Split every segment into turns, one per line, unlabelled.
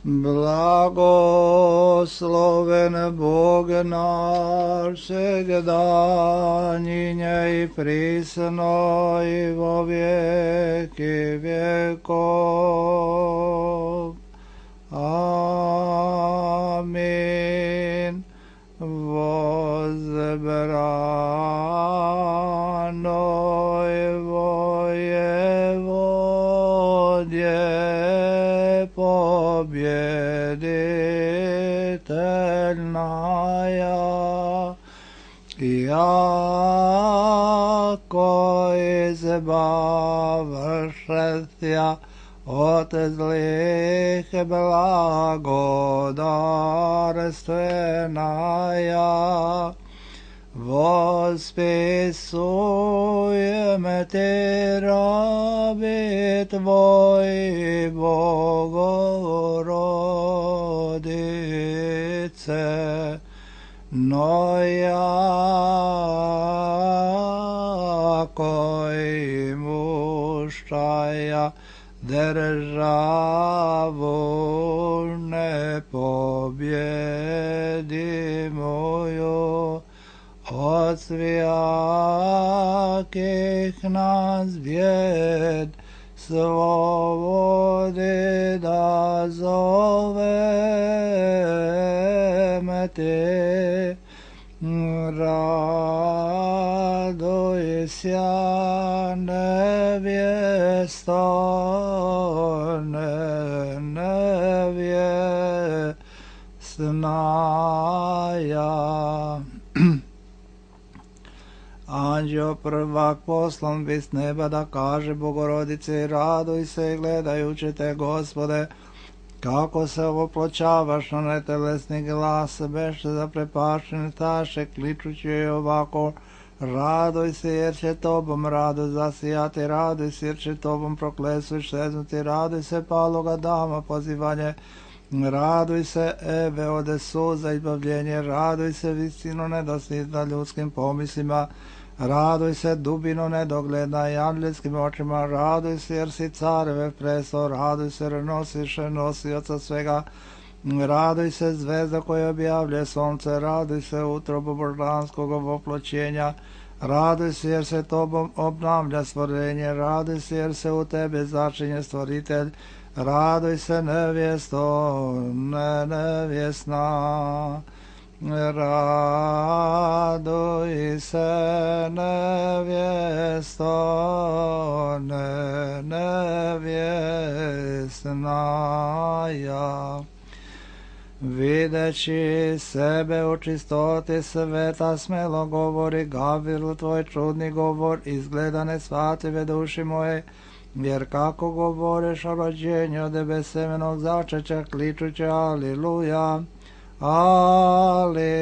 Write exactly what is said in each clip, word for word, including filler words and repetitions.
Blagosloven Bog naš, segdanjinje i prisno i vo vijeki vjekov. Amin. Возбранoj vojevodje победительная, яко избавшися от злых благодарственная, восписуем Ти раби Твои, Богородице, но яко имущая державу непобедимую, от всяких нас бед свободы да зовем Ти. Радуйся, невесто, невестная. Anđeo prvak poslan bi s neba da kaže Bogorodici, raduj se gledajući te, Gospode, kako se opločavaš na netelesni glas, beše zaprepašten staše, kličući joj ovako, raduj se jer će tobom rado zasijati, raduj se jer će tobom proklesu šeznuti, raduj se paloga dama pozivanje, raduj se Eve ode suza izbavljenje, raduj se visino nedostižna ljudskim pomislima, raduj se dubino nedogledna i angelskim očima, raduj se jer si careve presto, raduj se jer nosiš nosioca svega, raduj se zvezda koja objavlja sunce, raduj se utrobu božanskog oploćenja, raduj se jer se tobom obnavlja stvorenje, raduj se jer se u tebe začinje stvoritelj, raduj se nevjesto, ne nevjesna. Raduj se nevjesto, ne nevjesnaja. Videći sebe u čistoti sveta, smelo govori Gavrilu tvoj čudni govor, izgleda nesvatljive duši moje, jer kako govoriš o rođenju od besemenog začeća, kličući aliluja, aliluja,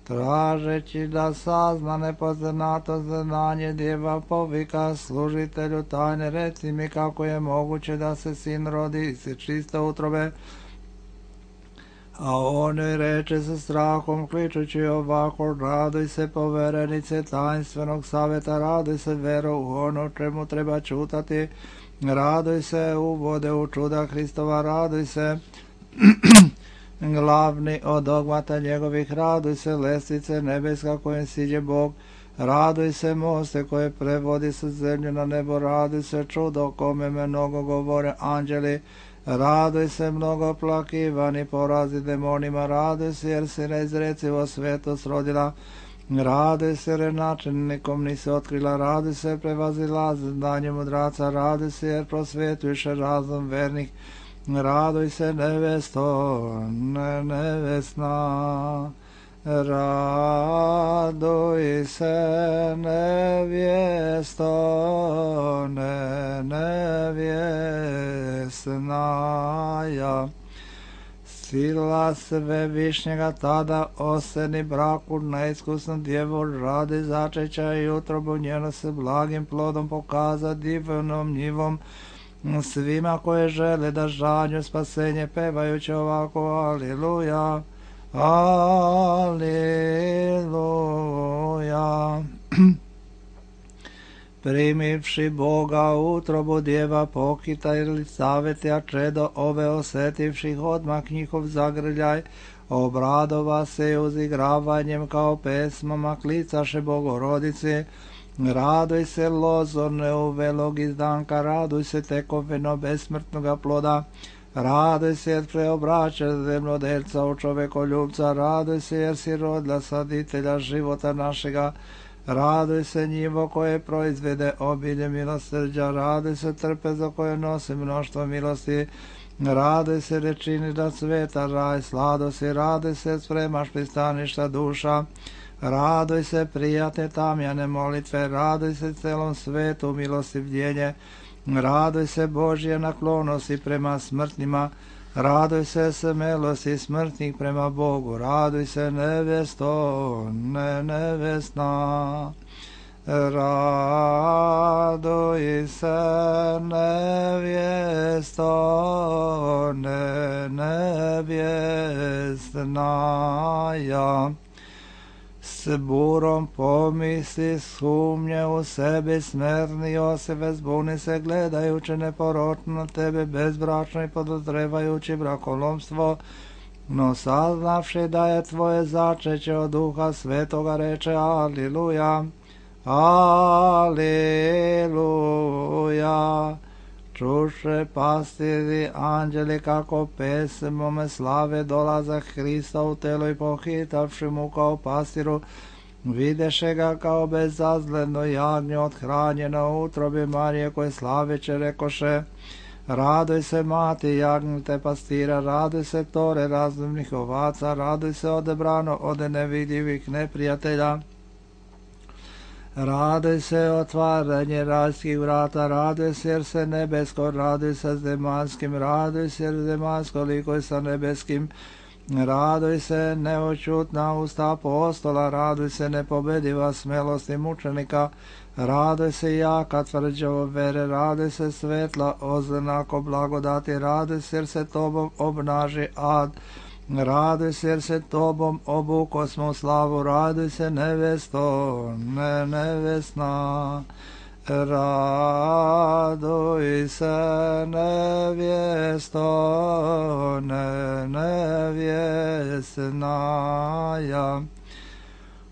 tražeći da sazna nepoznato znanje djeva povika služitelju tajne, reci mi kako je moguće da se sin rodi iz čiste utrobe. A on joj reče sa strahom, kličući ovako, raduj se poverenice tajnstvenog savjeta, raduj se vero u ono čemu treba čutati, raduj se uvode u čuda Hristova, raduj se glavni od dogmata njegovih, raduj se lestvice nebeska kojem siđe Bog, raduj se moste koje prevodi sa zemlje na nebo, raduj se čudo kome mnogo govore anđeli, raduj se mnogo plakivani porazi demonima, raduj se jer si neizrecivo svetost rodila, raduj se jer načelnikom nisi otkrila, raduj se prevazila znanje mudraca, raduj se jer prosvjetuješ razum vernih, raduj se nevesto, ne nevesna, raduj se nevjesto, ne nevjesnaja. Sila Svevišnjega tada oseni braku neiskusnu djevu radi začeća i utrobu njeno se blagim plodom pokaza divnom njivom svima koje žele da žanju spasenje, pevajući ovako aliluja, aliluja. primivši Boga u utrobu djeva pokitali saveti, a čedo ove osetivših odmah njihov zagrljaj, obradova se uzigravanjem kao pesmama klicaše Bogorodici. Raduj se lozo neuvelog izdanka, raduj se tekovino besmrtnoga ploda, raduj se jer preobraća zemljodelca u čovekoljubca, raduj se jer si rodila saditelja života našega, raduj se njivo koje proizvede obilje milosrđa, raduj se trpezo koje nosi mnoštvo milosti, raduj se rečini da sveta raj sladosti, raduj se spremaš pristaništa duša, raduj se prijatne tamjane molitve, raduj se celom svetu milostivljenje, raduj se Božje naklonosti prema smrtnima, raduj se smelosti smrtnih prema Bogu, raduj se nevesto, ne nevesna. Raduj se nevjesto, ne nevjesnaja. S burom pomisli sumnje u sebi smerni Josife, zbuni se gledajući neporočno na tebe bezbračno i podozrevajući brakolomstvo, no saznavši da je tvoje začeće od Duha Svetoga reče Aliluja, Aliluja. Čuše pastiri anđeli kako pesmome slave dolazak Hrista u telo i pohitavši mu kao pastiru, videše ga kao bezazledno jagnje othranjeno u utrobi Marije koje slaveće rekoše, raduj se mati jagnjete pastira, raduj se tore razumnih ovaca, raduj se odebrano od nevidljivih neprijatelja. Raduj se otvaranje rajskih vrata, raduj se jer se nebesko, raduj se zemaljskim, raduj se jer zemaljsko likoj sa nebeskim, raduj se neočutna usta apostola, raduj se nepobediva smelosti mučenika, raduj se jaka tvrđavo vere, raduj se svetla oznako blagodati, raduj se jer se tobom obnaži ad, raduj se jer se tobom obuko smo slavu, raduj se nevesto, ne nevesna. Raduj se nevjesto, ne nevjesnaja.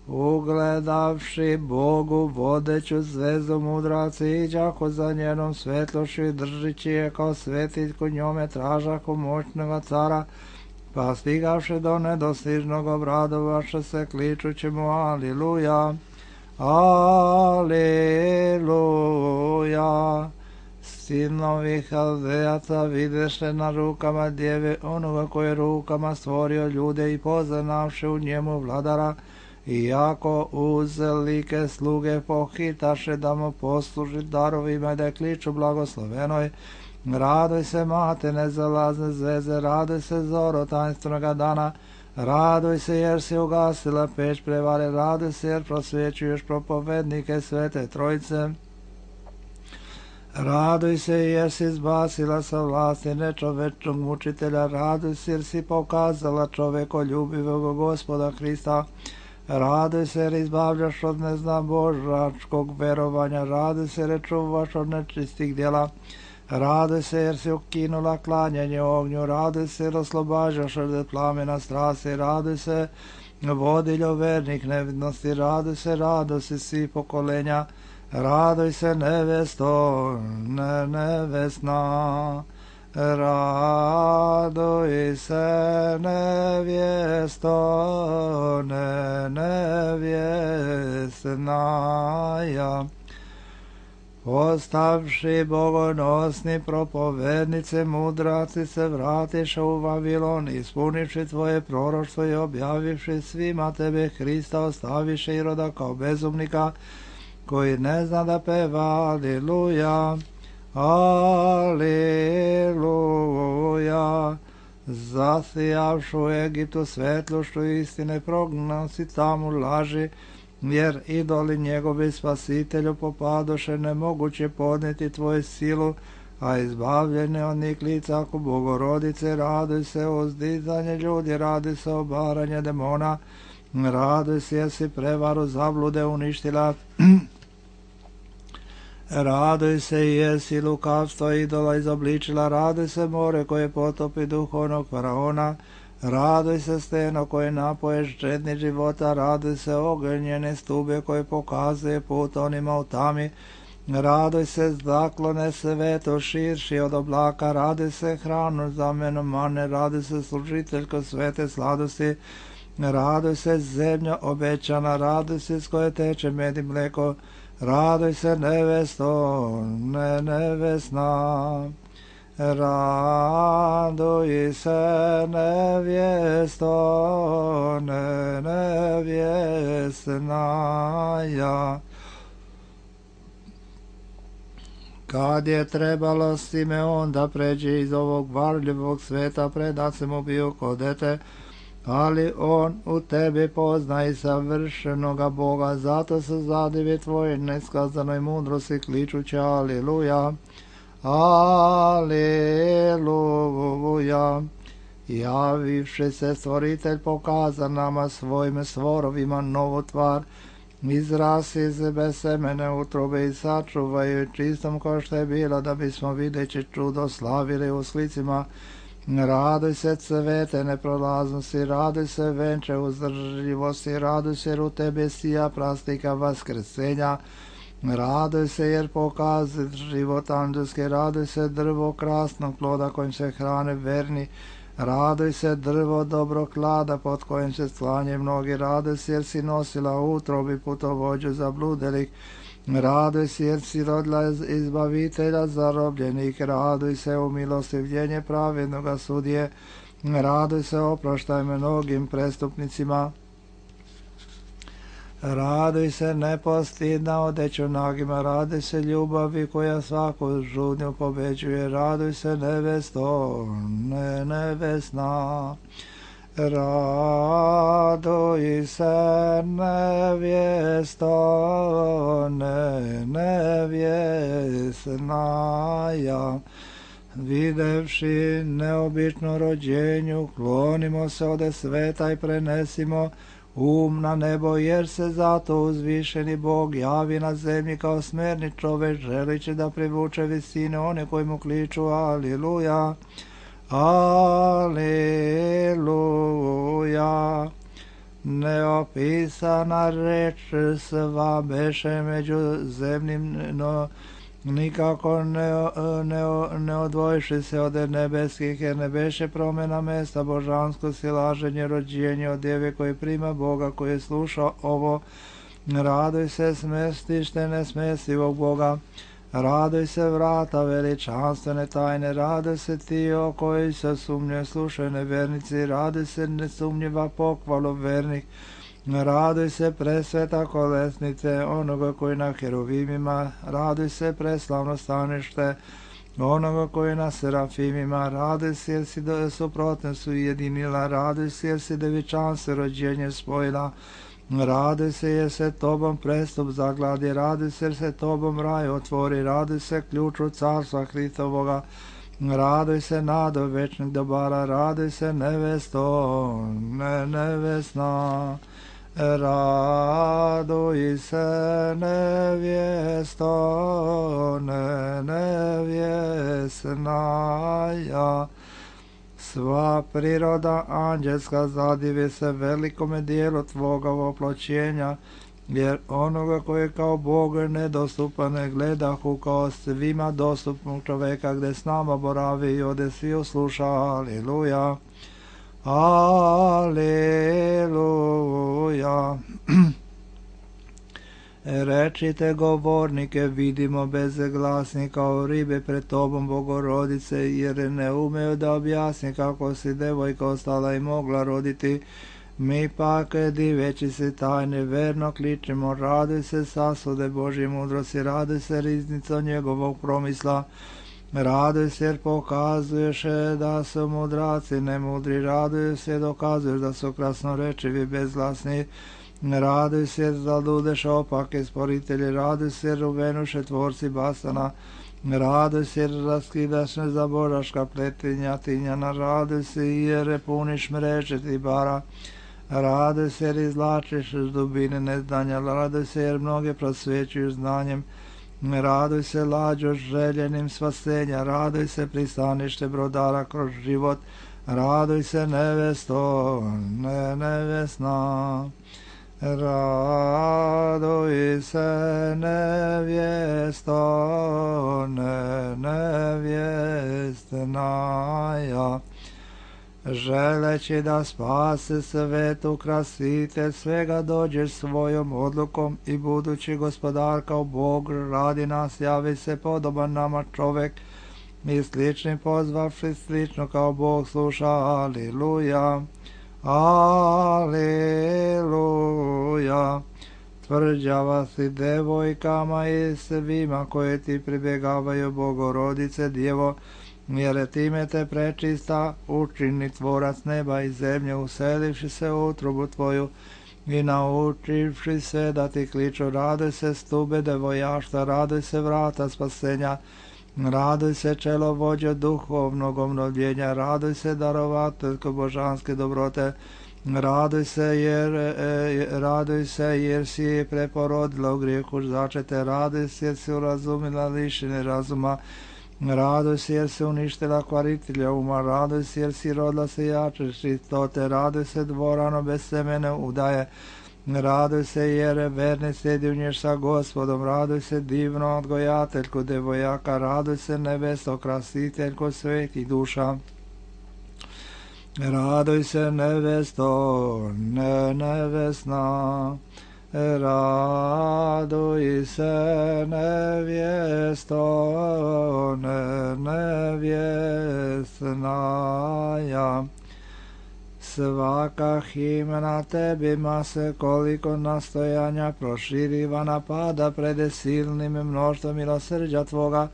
Ugledavši Bogu vodeću zvezdu mudraci iđako za njenom svetlošću i držići je kao svetiljku njome tražaku moćnoga cara, pa stigavši do nedostižnog obradovaše se kličući mu Aliluja, Aliluja. Sinovi Haldejaca videše na rukama djeve onoga koje rukama stvorio ljude i poznavši u njemu vladara, iako uz like sluge pohitaše da mu posluži darovima i da kliču blagoslovenoj, raduj se mate nezalazne zveze, raduj se zoro tajnstvenog dana, raduj se jer si ugasila peć prevare, raduj se jer prosvjećuješ propovednike Svete Trojice, raduj se jer si zbasila sa vlasti nečovečnog mučitelja, raduj se jer si pokazala čovekoljubivog Gospoda Hrista, raduj se jer izbavljaš od neznabožačkog verovanja, raduj se jer čuvaš od nečistih djela, raduj se jer si ukinula klanjanje ognju, raduj se jer oslobađaš od plamena strasti, raduj se vodiljo vernih nevidnosti, raduj se radosti svih pokolenja, raduj se nevesto, ne nevesna, raduj se nevjesto, ne nevjesnaja. Postavši bogonosni propovednice, mudraci se vratiše u Vavilon, ispunivši tvoje proroštvo i objavivši svima tebe Hrista, ostaviše Iroda kao bezumnika, koji ne zna da peva Aliluja, Aliluja. Zasijavšu u Egiptu svetlošću istine, prognosi tamo laži, jer idoli njegovi spasitelju popadoše, nemoguće podnijeti tvoju silu, a izbavljene od njih lica ako Bogorodice, raduj se o uzdizanje ljudi, raduj se o obaranje demona, raduj se jer si prevaru zablude uništila, Raduj se, jesi lukavstvo idola izobličila, raduj se more koje potopi duhovnog faraona, raduj se steno koje napoješ žedni života, raduj se ognjene stube koje pokazuje put onima u tami, raduj se zaklone sveto širši od oblaka, raduj se hranu zameno mane, raduj se služiteljko svete sladosti, raduj se zemlja obećana, raduj se s koje teče med i mleko, raduj se nevesto, ne nevesna, raduj se nevjesto, ne nevjesna ja. Kad je trebalo Simeon da pređe iz ovog varljivog sveta, predat se mu bio ko dete, ali on u tebi pozna i savršenoga Boga, zato se zadivi tvojoj neskazanoj mudrosti kličući Aliluja, Aliluja. Javivši se stvoritelj pokaza nama svojim stvorovima novu tvar, izrasi se bez semene utrobe i sačuvaju čistom kao što je bilo, da bismo videći čudo slavili u slicima. Raduj se cvete neprolaznosti, raduj se venče uzdržljivosti, raduj se jer u tebi sija prastika vaskrsenja, raduj se jer pokazi život anđelski, raduj se drvo krasnog ploda kojim se hrane verni, raduj se drvo dobrog klada pod kojim se sklanje mnogi, raduj se jer si nosila utrobi putovođu zabludelih, raduj se jer si rodila izbavitelja zarobljenih, raduj se u milostivljenje pravednoga sudije, raduj se oproštaj mnogim prestupnicima, raduj se nepostidna odeću nagima, raduj se ljubavi koja svaku žudnju pobeđuje, raduj se nevesto, ne nevesna, raduj se nevjesto, ne nevjesna ja. Videvši neobično rođenju, klonimo se ode sveta i prenesimo um na nebo, jer se zato uzvišeni Bog javi na zemlji kao smerni čovek, želiće da privuče visine one koji mu kliču Aliluja, Aliluja. Neopisana reč sva beše među zemljim, no nikako ne, ne, ne odvojiši se od nebeskih, jer ne beše promjena mesta božansko silaženje, rođenje od djeve koji prima Boga, koji sluša ovo. Raduj se smestište nesmestivog Boga, raduj se vrata veličanstvene tajne, raduj se ti o koji se sumnje slušaju nevernici, raduj se nesumnjiva pohvalu vernih, raduj se presveta kolesnice onoga koji na heruvimima, raduj se preslavno stanište onoga koji na serafimima, raduj se jer si suprotne su jedinila, raduj se jer si devičanstvo rođenje spojila, raduj se jer se tobom prestup zagladi, raduj se jer se tobom raj otvori, raduj se ključu carstva Hristovoga, raduj se nado večnih dobara, raduj se nevesto, ne nevesna, raduj se nevjesto, ne nevjesna ja. Sva priroda anđelska zadivi se velikome dijelu tvoga oploćenja, jer onoga koji je kao Bog nedostupan ne gledahu kao svima dostupnog čoveka, gde s nama boravi i ode svi usluša. Aliluja, Aliluja. Rečite govornike, vidimo bezglasni kao ribe pred tobom Bogorodice, jer ne umeju da objasni kako si devojka ostala i mogla roditi. Mi pak, diveći se tajne, verno kličemo, raduj se sasude Božje mudrosti, raduj se riznico njegovog promisla, raduj se jer pokazuješ da su mudraci nemudri, raduj se dokazuješ da su krasnorečivi bezglasni, raduj se jer zaludeš opake sporitelji, raduj se jer uvenuše tvorci basana, raduj se jer raskidaš nezaboraška pletinja tinjana, raduj se jer puniš mreže ti bara, raduj se jer izlačiš iz dubine neznanja, raduj se jer mnoge prosvećuju znanjem, Raduj se lađo željenim spasenja, raduj se pristanište brodara kroz život, raduj se nevesto, ne nevesna. Raduj se nevjesto, ne nevjestnaja. Želeći da spase svet, ukrasitelj svega, dođeš svojom odlukom i budući gospodar kao Bog radi nas, javi se podoban nama čovek i slični pozvavši slično kao Bog sluša. Aliluja, aliluja. Tvrđava si devojkama i svima koje ti pribjegavaju, Bogorodice Djevo, jer time te prečista učini tvorac neba i zemlje, uselivši se u utrobu tvoju i naučivši se da ti kliču. Raduj se stube devojašta, raduj se vrata spasenja, raduj se čelo vođa duhovnog obnovljenja, raduj se darovateljko božanske dobrote, raduj se jer, e, raduj se jer si preporodila u grijehu začete, raduj se jer si urazumila lišene razuma, raduj se jer si uništila kvaritelja uma, raduj se jer si rodila se jače čistote, raduj se dvorano bez semene udaje, raduj se jer verni sjedinješ sa Gospodom, raduj se divno odgojateljko devojaka, raduj se nebesto krasiteljko svetih duša. Raduj se nevesto, ne nevesna, raduj se nevjesto, ne nevjesnaja. Svaka himna tebima se koliko nastojanja proširiva napada prede silnim mnoštvom milosrđa tvoga,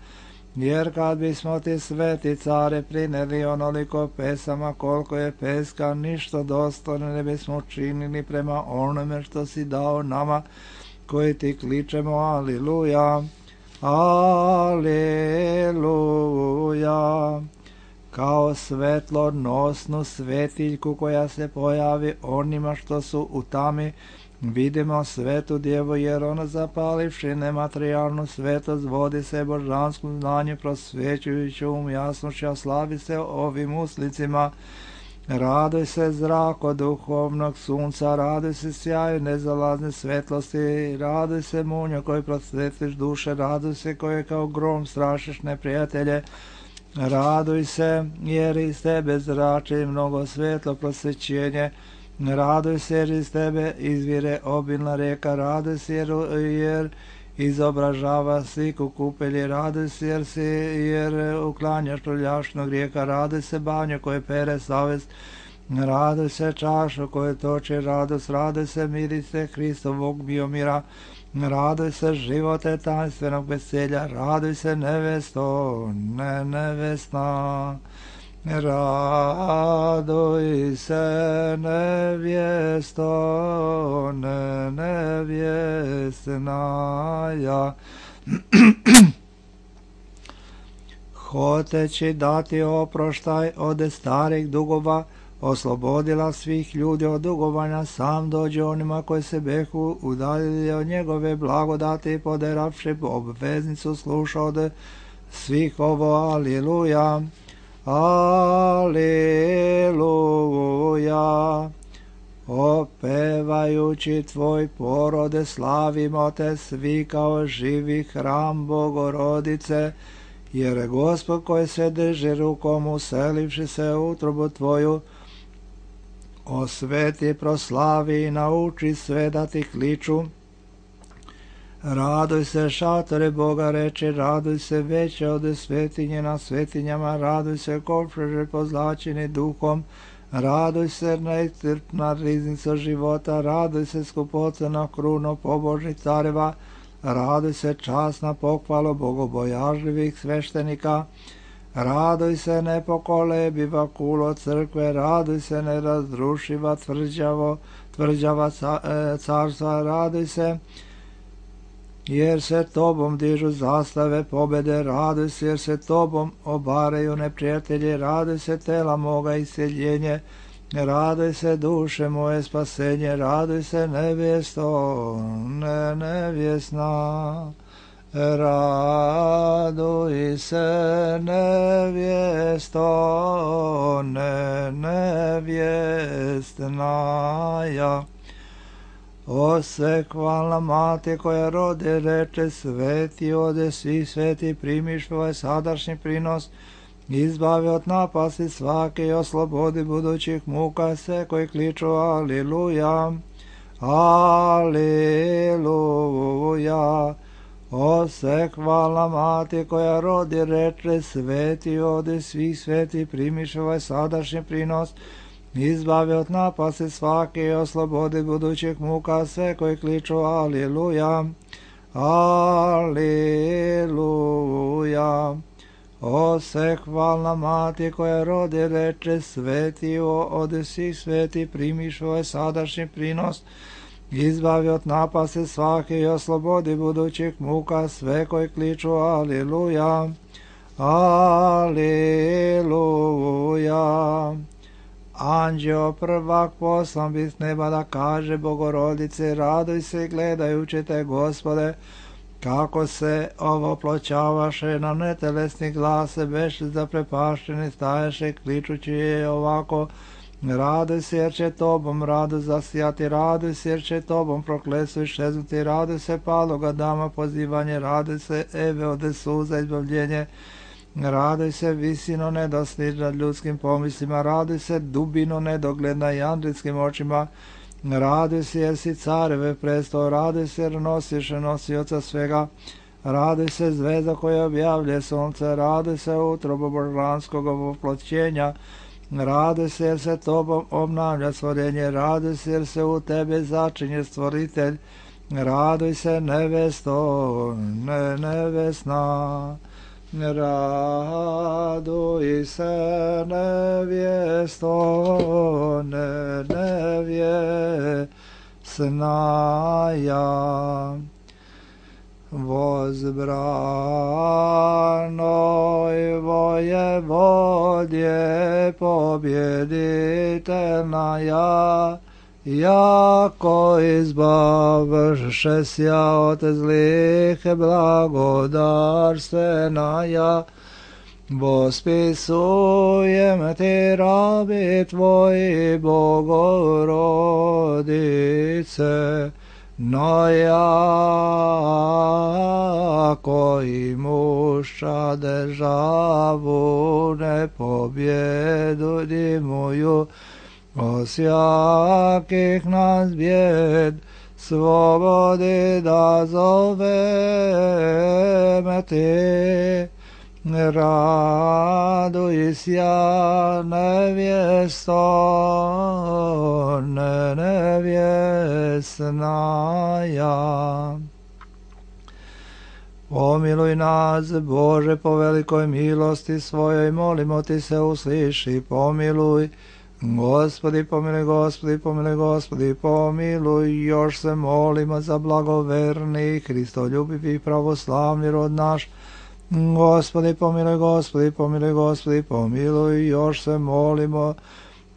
jer kad bismo ti sveti care prineli onoliko pesama koliko je peska, ništa dostojno ne bismo učinili prema onome što si dao nama koji ti kličemo. Aliluja, aliluja. Kao svetlonosnu svetiljku koja se pojavi onima što su u tami, vidimo svetu djevu, jer ona zapalivši nematerijalnu svetost vodi se božanskom znanju prosvećujući um jasnošću, a slavi se ovim uslicima. Raduj se zrako duhovnog sunca, raduj se sjaju nezalazne svetlosti, raduj se munjo koji prosvetliš duše, raduj se koje kao grom strašiš neprijatelje, raduj se jer iz tebe zrači mnogo svetlo prosvećenje, raduj se jer iz tebe izvire obilna rijeka, raduj se jer, jer izobražava sliku kupelji, raduj se jer, si, jer uklanjaš prljašnog rijeka, raduj se banjo koje pere savest, raduj se čašu koje toči radost, raduj se mirise Hristovog biomira, raduj se živote tajnstvenog veselja, raduj se nevesto, ne nevesna. Raduj se nevjesto, ne nevjesnaja. Hoteći dati oproštaj od starih dugova, oslobodila svih ljudi od dugovanja, sam dođe onima koji se behu udaljili od njegove blagodati, poderavši obveznicu sluša od svih ovo. Aliluja, aliluja. Opevajući tvoj porode slavimo te svi kao živi hram Bogorodice, jer Gospod koji se drži rukom uselivši se u utrobu tvoju, osveti, proslavi i nauči sve da ti kliču. Raduj se šatore Boga reče, raduj se veće od svetinje na svetinjama, raduj se kovčeže pozlačeni duhom, raduj se neiscrpna riznica života, raduj se skupocena kruno pobožnih careva, raduj se časna pohvalo bogobojažljivih sveštenika, raduj se nepokolebiva kulo crkve, raduj se nerazrušiva tvrđavo, tvrđava carstva, raduj se jer se tobom dižu zastave pobede, raduj se jer se tobom obaraju neprijatelji, raduj se tela moga iseljenje, raduj se duše moje spasenje, raduj se nevjesto, ne nevjesna, Raduj se, nevjesto, ne nevjestnaja. O sekvalna mati koja rodi, reče sveti, ode svi sveti, primiš ovaj sadašnji prinos, izbavi od napasti svake i oslobodi budućih muka sve koji kliču aliluja, aliluja. O sekvalna mati koja rodi, reče sveti, ode svi sveti, primiš ovaj sadašnji prinos, izbavi od napasti svake i oslobodi budućih muka sve koji kliču aliluja, aliluja. O sekvalna mati koja rodi, reče sveti, ode svih sveti, primiš ovaj sadašnji prinos, izbavi od napasti svake i oslobodi budućih muka sve koji kliču aliluja, aliluja. Anđeo prvak poslan bi s neba da kaže Bogorodice, raduj se gledajući te, Gospode, kako se ovoploćavaše na netelesni glase, beše zaprepašteni, staješe kličući je ovako, raduj se jer će tobom radu zasijati, raduj se jer će tobom prokletstvo iščeznuti, raduj se paloga dama pozivanje, raduj se Eve ode suza izbavljenje, raduj se visino nedostiž nad ljudskim pomislima, raduj se dubino nedogled nad andrijskim očima, raduj se jer si careve prestao, raduj se jer nosiš nosioca svega, raduj se zvezda koja objavlje sunce, raduj se utrobo božanskog oploćenja, raduj se jer se tobom obnavlja stvorenje, raduj se jer se u tebe začinje stvoritelj, raduj se nevesto, ne nevesna. Raduj se nevjesto, ne nevjesnaja. Возбранoj vojevodje pobjeditelnaja, jako izbavše sja od zlih blagodarstvenaja, vospisujem ti rabi tvoji, Bogorodice, no jako imuša državu nepobjedudimuju, osjakih nas bjed slobodi da zoveme ti, raduj sja nevjesto, ne nevjesnaja. Pomiluj nas, Bože, po velikoj milosti svojoj, molimo ti se, usliši, pomiluj. Gospodi, pomiluj, Gospodi, pomiluj, Gospodi, pomiluj. Još se molimo za blagoverni, hristoljubivi, pravoslavni rod naš. Gospodi, pomiluj, Gospodi, pomiluj, Gospodi, pomiluj. Još se molimo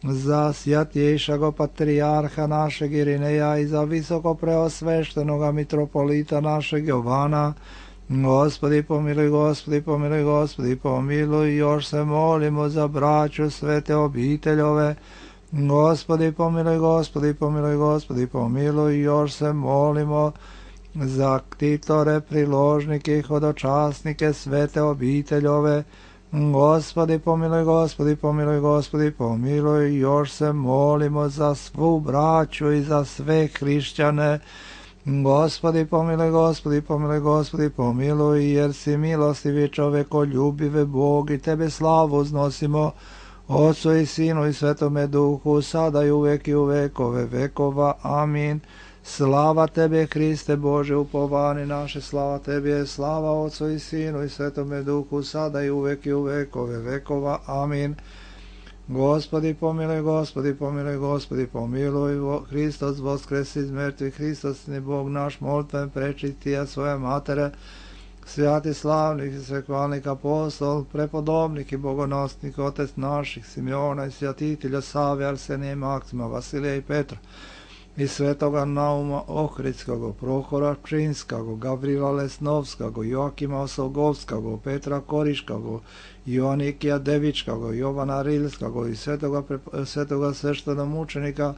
za sjatjejšago patrijarha našeg Irineja i za visoko preosveštenoga mitropolita našeg Jovana. Gospodi, pomiluj, Gospodi, pomiluj, Gospodi, pomiluj. Još se molimo za braću svete obiteljove. Gospodi, pomiluj, Gospodi, pomiluj, Gospodi, pomiluj. Još se molimo za ktitore, priložnike i hodočasnike svete obiteljove. Gospodi, pomiluj, Gospodi, pomiluj, Gospodi, pomiluj. Još se molimo za svu braću i za sve hrišćane. Gospodi, pomiluj, Gospodi, pomiluj, Gospodi, pomiluj, jer si milostivi čovekoljubive Bog i tebe slavu uznosimo, Otcu i Sinu i Svetome Duhu, sada i uvek i u vekove vekova. Amin. Slava tebe, Hriste Bože, upovani naše, slava tebi, slava Otcu i Sinu i Svetome Duhu, sada i uvek i u vekove vekova. Amin. Gospodi, pomiluj, Gospodi, pomiluj, Gospodi, pomiluj. Hristos voskresi iz mrtvih, Hristos ni Bog naš, molitven prečistija svoje matere, svjati slavnih i svekvalnih apostol, prepodobnik i bogonosnik, otec naših, Simeona i svjatitelja Save, Arsenija i Maksima, Vasilija i Petra, i svetoga Nauma Ohridskog, Prohora Pčinskog, Gavrila Lesnovskog, Joakima Osogovskog, Petra Koriškog, Joanikija Devičkog, Jovana Rilskog i svetoga, svetoga sveštenomučenika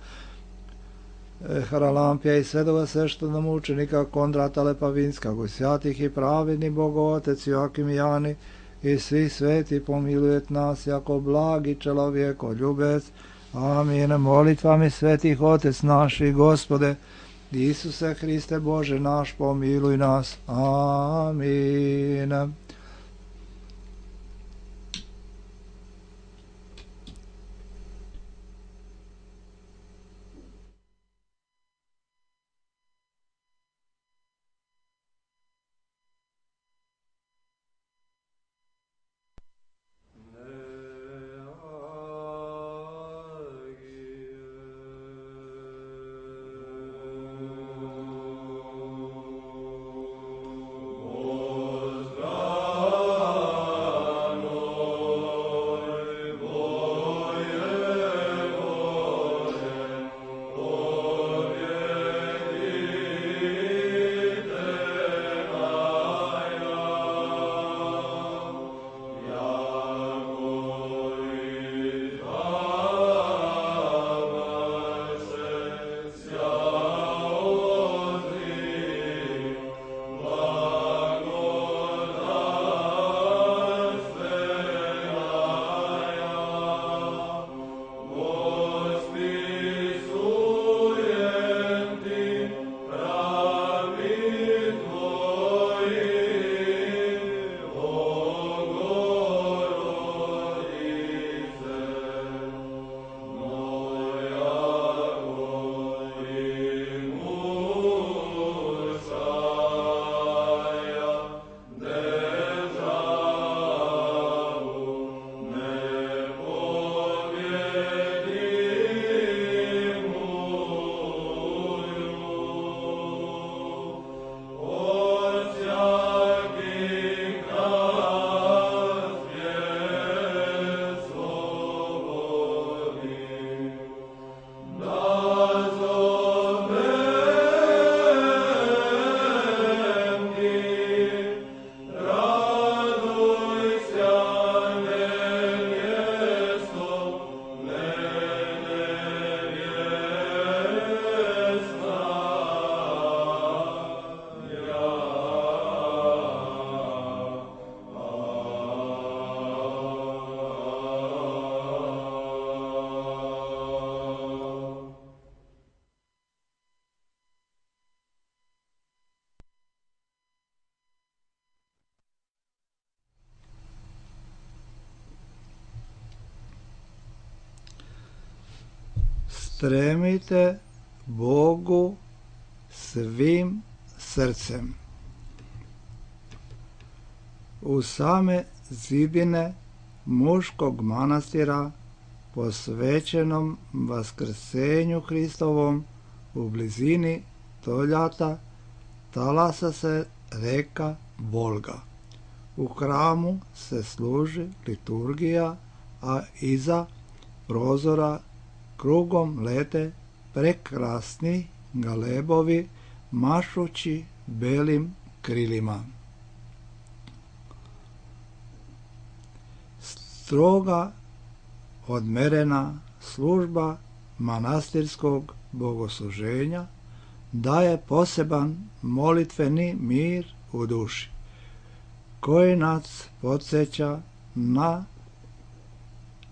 Haralampija i svetoga sveštenomučenika Kondrata Lepavinskog, svятih i pravedni Bogootec Joakim i Jani i svi sveti pomilujet nas jako blagi čelovjeko ljubec. Amin. Molitvami svetih Otec naši, Gospode, Isuse Hriste Bože naš, pomiluj nas. Amin. Stremite Bogu svim srcem. U same zidine muškog manastira posvećenom Vaskrsenju Hristovom u blizini Toljata talasa se reka Volga. U hramu se služi liturgija, a iza prozora krugom lete prekrasni galebovi mašući belim krilima. Stroga odmerena služba manastirskog bogosluženja daje poseban molitveni mir u duši, koji nas podsjeća na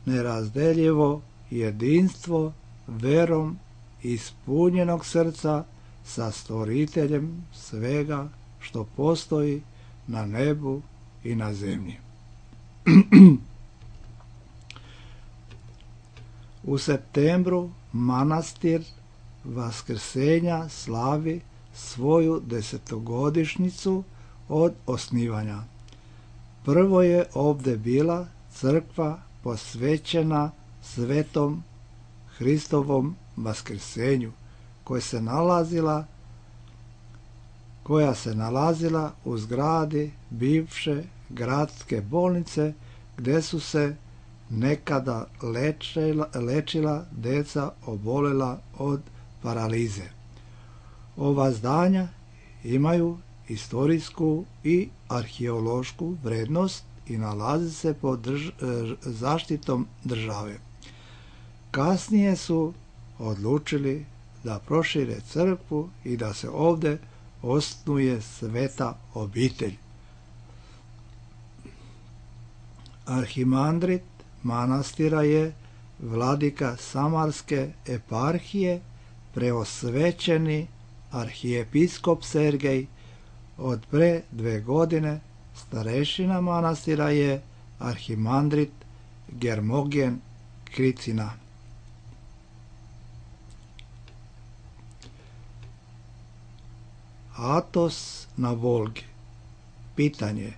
nerazdeljivo jedinstvo verom ispunjenog srca sa stvoriteljem svega što postoji na nebu i na zemlji. U septembru manastir Vaskrsenja slavi svoju desetogodišnjicu od osnivanja. Prvo je ovdje bila crkva posvećena svetom Hristovom Vaskrsenju, koja se nalazila koja se nalazila u zgradi bivše gradske bolnice, gdje su se nekada lečila, lečila deca obolela od paralize. Ova zdanja imaju historijsku i arheološku vrednost i nalaze se pod drž zaštitom države. Kasnije su odlučili da prošire crkvu i da se ovde osnuje sveta obitelj. Arhimandrit manastira je vladika Samarske eparhije, preosvećeni arhijepiskop Sergej. Od pre dve godine starešina manastira je arhimandrit Germogen Kricina. Atos na Volgi. Pitanje.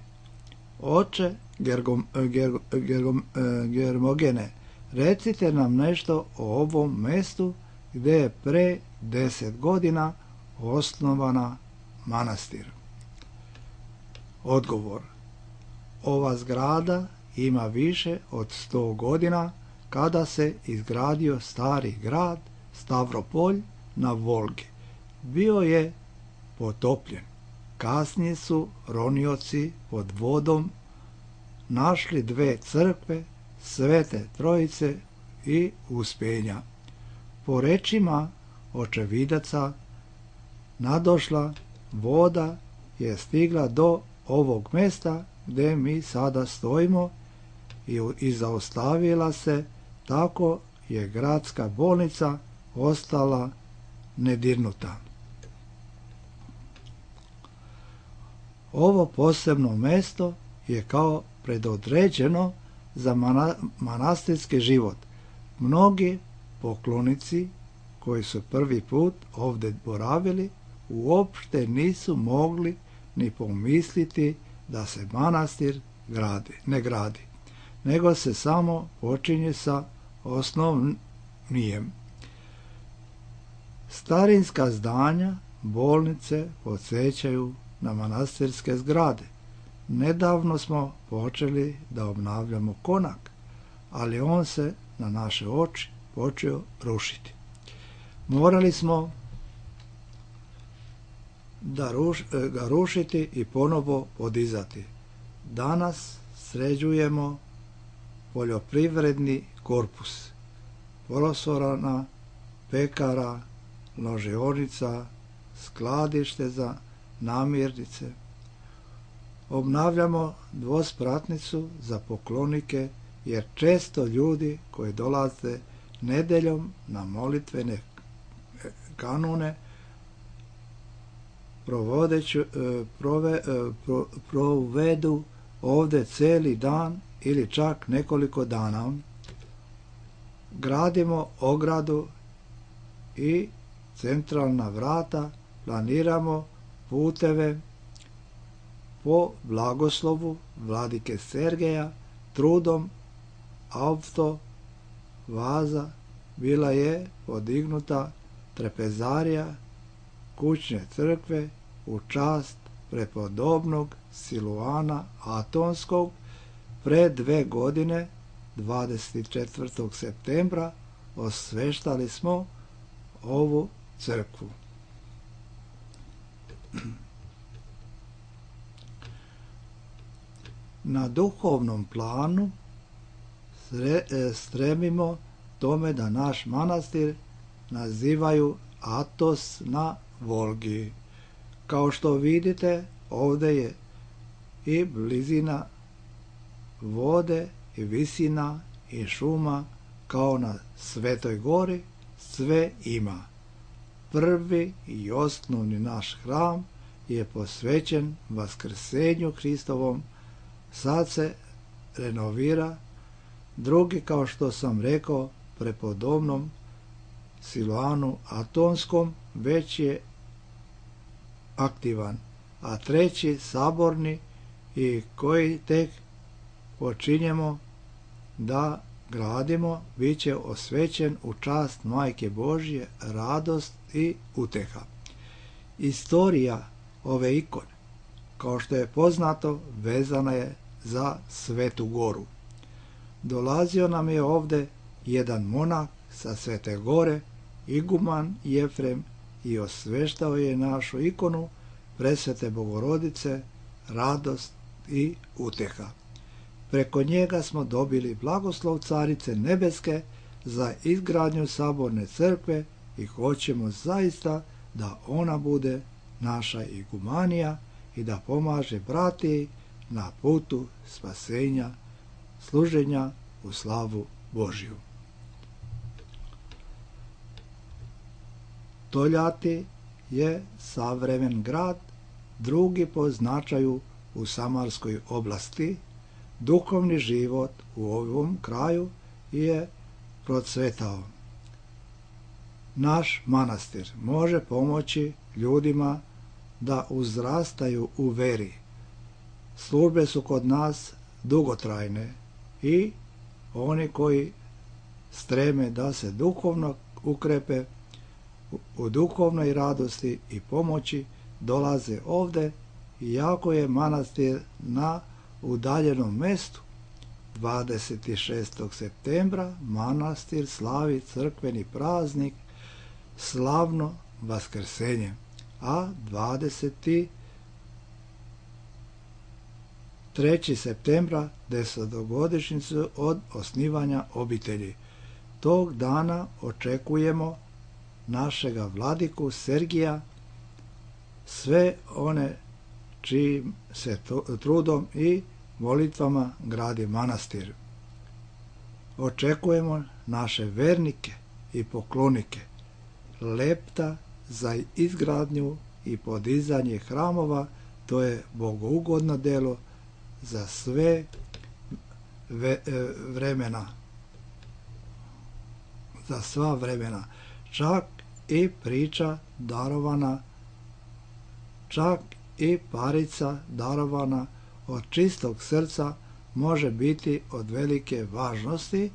Oče Gergom, Gergom, Gergom, Germogene, recite nam nešto o ovom mestu gde je pre deset godina osnovana manastir. Odgovor. Ova zgrada ima više od sto godina kada se izgradio stari grad Stavropolj na Volgi. Bio je potopljen. Kasnije su ronioci pod vodom našli dve crkve, Svete Trojice i Uspenja. Po rečima očevidaca, nadošla voda je stigla do ovog mesta gde mi sada stojimo i, i zaustavila se, tako je gradska bolnica ostala nedirnuta. Ovo posebno mesto je kao predodređeno za mana, manastirski život. Mnogi poklonici koji su prvi put ovde boravili uopšte nisu mogli ni pomisliti da se manastir gradi, ne gradi, nego se samo počinje sa osnovnijem. Starinska zdanja, bolnice podsjećaju na manastirske zgrade. Nedavno smo počeli da obnavljamo konak, ali on se na naše oči počeo rušiti. Morali smo da ruš, ga rušiti i ponovo podizati. Danas sređujemo poljoprivredni korpus, polosorana, pekara, ložionica, skladište za namirnice. Obnavljamo dvospratnicu za poklonike, jer često ljudi koji dolaze nedeljom na molitvene kanone provodeću, prove, pro, provedu ovde celi dan ili čak nekoliko dana. Gradimo ogradu i centralna vrata, planiramo puteve po blagoslovu vladike Sergeja, trudom auto vaza bila je podignuta trapezarija kućne crkve u čast prepodobnog Siluana Atonskog. Pre dve godine, dvadeset četvrtog septembra, osveštali smo ovu crkvu. Na duhovnom planu stremimo tome da naš manastir nazivaju Atos na Volgi. Kao što vidite, ovde je i blizina vode i visina i šuma, kao na Svetoj gori, sve ima. Prvi i osnovni naš hram je posvećen Vaskrsenju Hristovom, sad se renovira. Drugi, kao što sam rekao, prepodobnom Siluanu Atonskom, već je aktivan, a treći saborni i koji tek počinjemo da gradimo, bit će osvećen u čast Majke Božje, radost i uteha. Istorija ove ikone, kao što je poznato, vezana je za Svetu goru. Dolazio nam je ovde jedan monah sa Svete gore iguman Jefrem i osveštao je našu ikonu presvete Bogorodice, radost i uteha. Preko njega smo dobili blagoslov Carice Nebeske za izgradnju saborne crkve i hoćemo zaista da ona bude naša igumanija i da pomaže bratiji na putu spasenja, služenja u slavu Božju. Toljati je savremen grad, drugi po značaju u Samarskoj oblasti. Duhovni život u ovom kraju je procvetao. Naš manastir može pomoći ljudima da uzrastaju u veri. Službe su kod nas dugotrajne i oni koji streme da se duhovno ukrepe u duhovnoj radosti i pomoći dolaze ovde, iako je manastir na udaljenom mestu. dvadeset šestog septembra manastir slavi crkveni praznik slavno Vaskrsenje, a dvadeset trećeg septembra desetogodišnjicu od osnivanja obitelji. Tog dana očekujemo našega vladiku Sergija, sve one čijim se trudom i molitvama gradi manastir. Očekujemo naše vernike i poklonike, lepta za izgradnju i podizanje hramova, to je bogougodno delo za sve vremena, za sva vremena, čak i priča darovana, čak i parica darovana od čistog srca može biti od velike važnosti,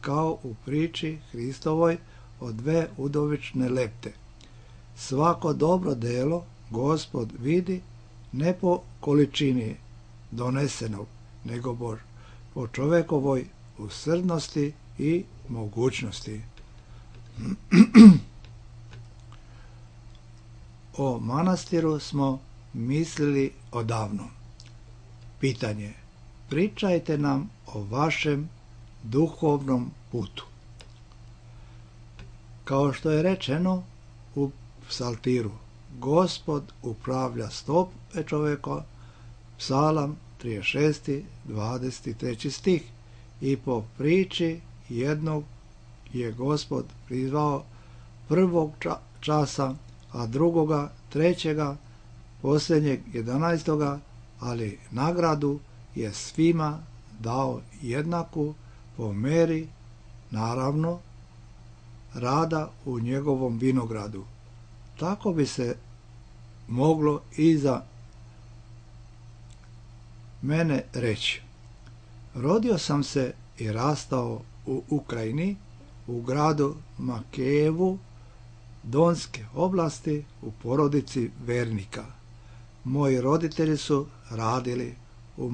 kao u priči Hristovoj o dve udovične lepte. Svako dobro delo Gospod vidi ne po količini donesenog, nego po čovekovoj usrdnosti i mogućnosti. O manastiru smo mislili odavno. Pitanje: pričajte nam o vašem duhovnom putu. Kao što je rečeno u psaltiru, Gospod upravlja stope čoveka, psalam trideset šest, dvadeset treći stih, i po priči jednog je Gospod prizvao prvog časa, a drugoga, trećega, posljednjeg, jedanaestoga, ali nagradu je svima dao jednaku po meri, naravno, rada u njegovom vinogradu. Tako bi se moglo i za mene reći. Rodio sam se i rastao u Ukrajini, u gradu Makejevu, Donske oblasti, u porodici vernika. Moji roditelji su radili u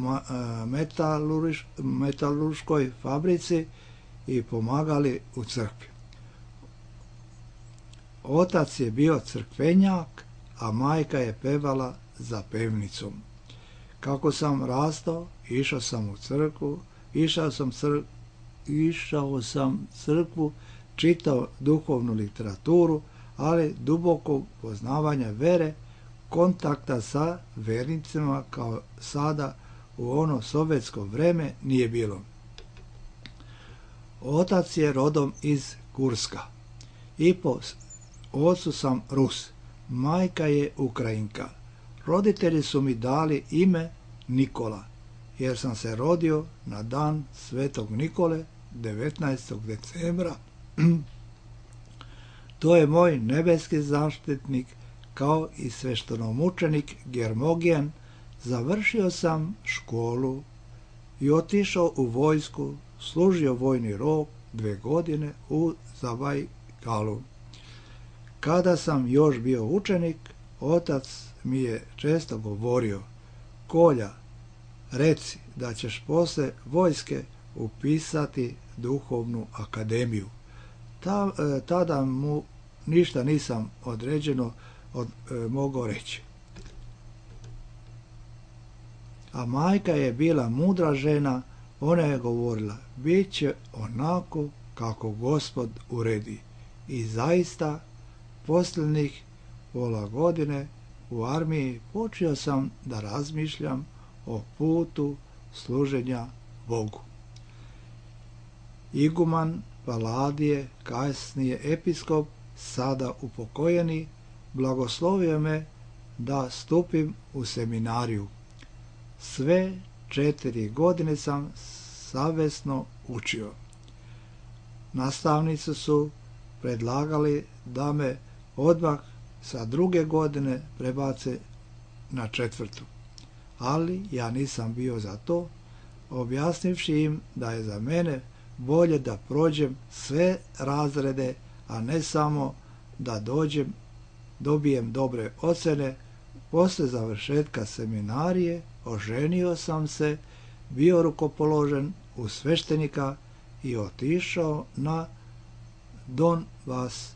metalurškoj fabrici i pomagali u crkvi. Otac je bio crkvenjak, a majka je pevala za pevnicom. Kako sam rastao, išao sam u crkvu, išao sam, cr... išao sam crkvu, čitao duhovnu literaturu, ali dubokog poznavanja vere, kontakta sa vernicima kao sada u ono sovjetsko vreme nije bilo. Otac je rodom iz Kurska i po ocu sam Rus, majka je Ukrajinka. Roditelji su mi dali ime Nikola, jer sam se rodio na dan Svetog Nikole, devetnaestog decembra. To je moj nebeski zaštitnik, kao i sveštenomučenik Germogijan. Završio sam školu i otišao u vojsku, služio vojni rok dve godine u Zabajkalu. Kada sam još bio učenik, otac mi je često govorio: Kolja, reci da ćeš posle vojske upisati duhovnu akademiju. Ta, tada mu ništa nisam određeno od, e, mogao reći. A majka je bila mudra žena, ona je govorila, bit će onako kako Gospod uredi. I zaista, posljednjih pola godine u armiji počeo sam da razmišljam o putu služenja Bogu. Iguman Paladije, kasnije episkop, sada upokojeni, blagoslovio me da stupim u seminariju. Sve četiri godine sam savjesno učio. Nastavnici su predlagali da me odmah sa druge godine prebace na četvrtu. Ali ja nisam bio za to, objasnivši im da je za mene bolje da prođem sve razrede, a ne samo da dođem, dobijem dobre ocjene. Poslije završetka seminarije oženio sam se, bio rukopoložen u sveštenika i otišao na Donbas.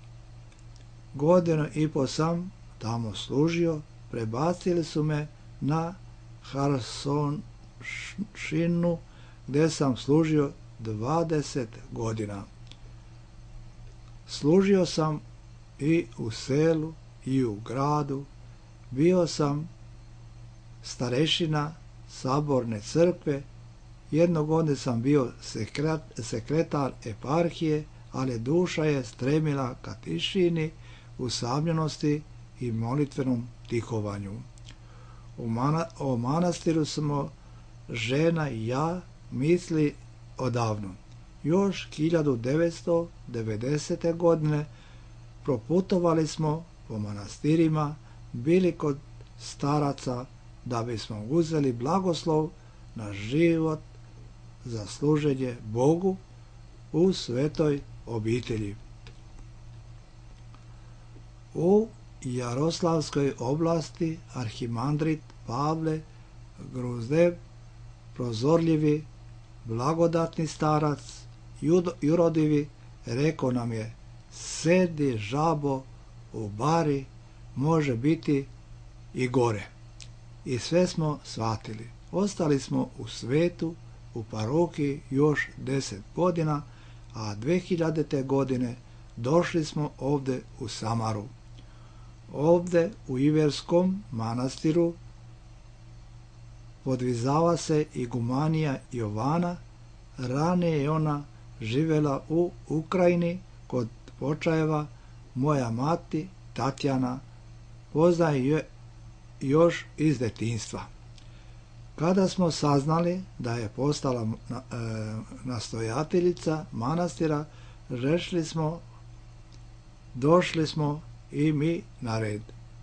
Godinu i po sam tamo služio, prebacili su me na Harsonšinu, gdje sam služio dvadeset godina. Služio sam i u selu i u gradu, bio sam starešina saborne crkve, jednog godine sam bio sekretar eparhije, ali duša je stremila ka tišini, usamljenosti i molitvenom tihovanju. U mana, o manastiru smo žena i ja misli odavno. Još hiljadu devetsto devedesete. godine proputovali smo po manastirima, bili kod staraca da bismo uzeli blagoslov na život za služenje Bogu u svetoj obitelji. U Jaroslavskoj oblasti arhimandrit Pavle Gruzdev, prozorljivi, blagodatni starac, jurodivi, rekao nam je, sedi žabo u bari, može biti i gore. I sve smo shvatili. Ostali smo u svetu, u parohiji još deset godina, a dve hiljadite. godine došli smo ovdje u Samaru. Ovdje u Iverskom manastiru podvizava se igumanija Jovana. Ranije je ona živjela u Ukrajini kod Počajeva. Moja mati Tatjana poznaje je još iz detinjstva. Kada smo saznali da je postala e, nastojateljica manastira, rešili smo, došli smo i mi na red.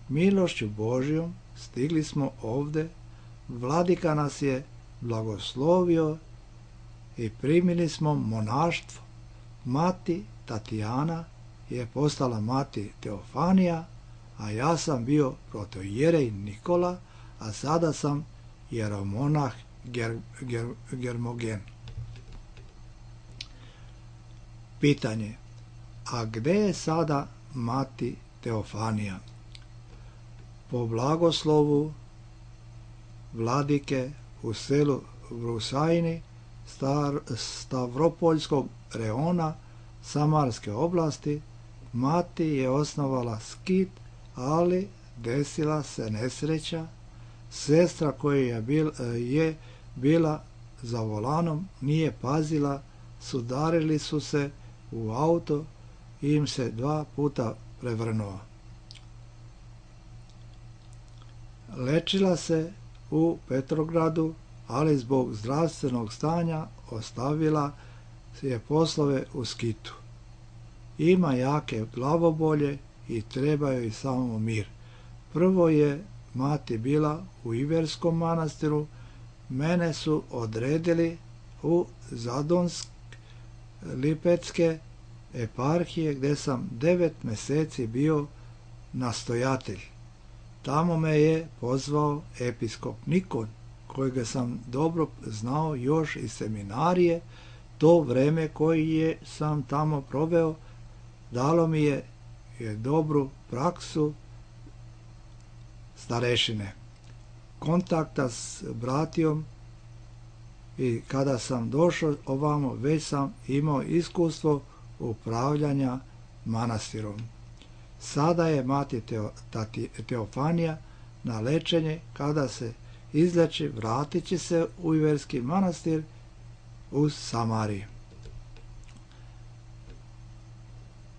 Milošću Božjom stigli smo ovdje, vladika nas je blagoslovio i primili smo monaštvo. Mati Tatjana je postala mati Teofanija, a ja sam bio protoijerej Nikola, a sada sam jeromonah ger, ger, Germogen. Pitanje, a gdje je sada mati Teofanija? Po blagoslovu vladike u selu Vrusajni Star, Stavropoljskog reona Samarske oblasti, mati je osnovala skit, ali desila se nesreća. Sestra koja je, bil, je bila za volanom nije pazila, sudarili su se u auto i im se dva puta prevrnuo. Lečila se u Petrogradu, ali zbog zdravstvenog stanja ostavila je poslove u Skitu. Ima jake glavobolje i treba joj samo mir. Prvo je mati bila u Iverskom manastiru, mene su odredili u Zadonsk Lipetske eparhije, gdje sam devet mjeseci bio nastojatelj. Tamo me je pozvao episkop Nikon, kojega sam dobro znao još iz seminarije. To vreme koji je sam tamo proveo dalo mi je je dobru praksu starešine, kontakta s bratijom, i kada sam došao ovamo već sam imao iskustvo upravljanja manastirom. Sada je mati Teo, tati, Teofanija na lečenje, kada se izleči vratit će se u Iverski manastir u Samariji.